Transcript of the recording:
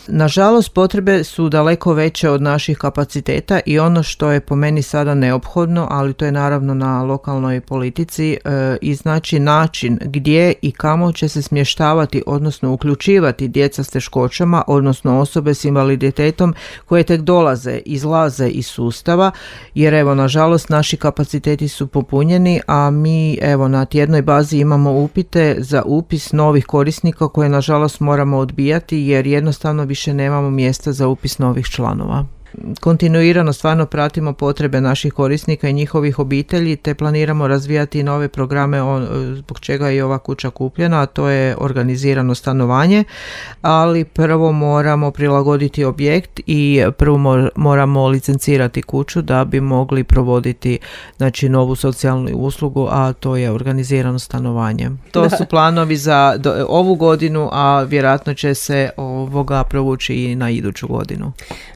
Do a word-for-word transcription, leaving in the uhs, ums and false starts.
Nažalost, potrebe su daleko veće od naših kapaciteta i ono što je po meni sada neophodno, ali to je naravno na lokalnoj politici, e, iznaći način gdje i kamo će se smještavati, odnosno uključivati djeca s teškoćama, odnosno osobe s invaliditetom koje tek dolaze, izlaze iz sustava, jer evo, nažalost, naši kapaciteti su popunjeni, a mi evo na tjednoj bazi imamo upite za upis novih korisnika koje nažalost moramo odbijati jer jednostavno više nemamo mjesta za upis novih članova. Kontinuirano stvarno pratimo potrebe naših korisnika i njihovih obitelji te planiramo razvijati nove programe zbog čega je i ova kuća kupljena, a to je organizirano stanovanje, ali prvo moramo prilagoditi objekt i prvo moramo licencirati kuću da bi mogli provoditi, znači, novu socijalnu uslugu, a to je organizirano stanovanje. To su planovi za do, ovu godinu, a vjerojatno će se ovoga provući i na iduću godinu.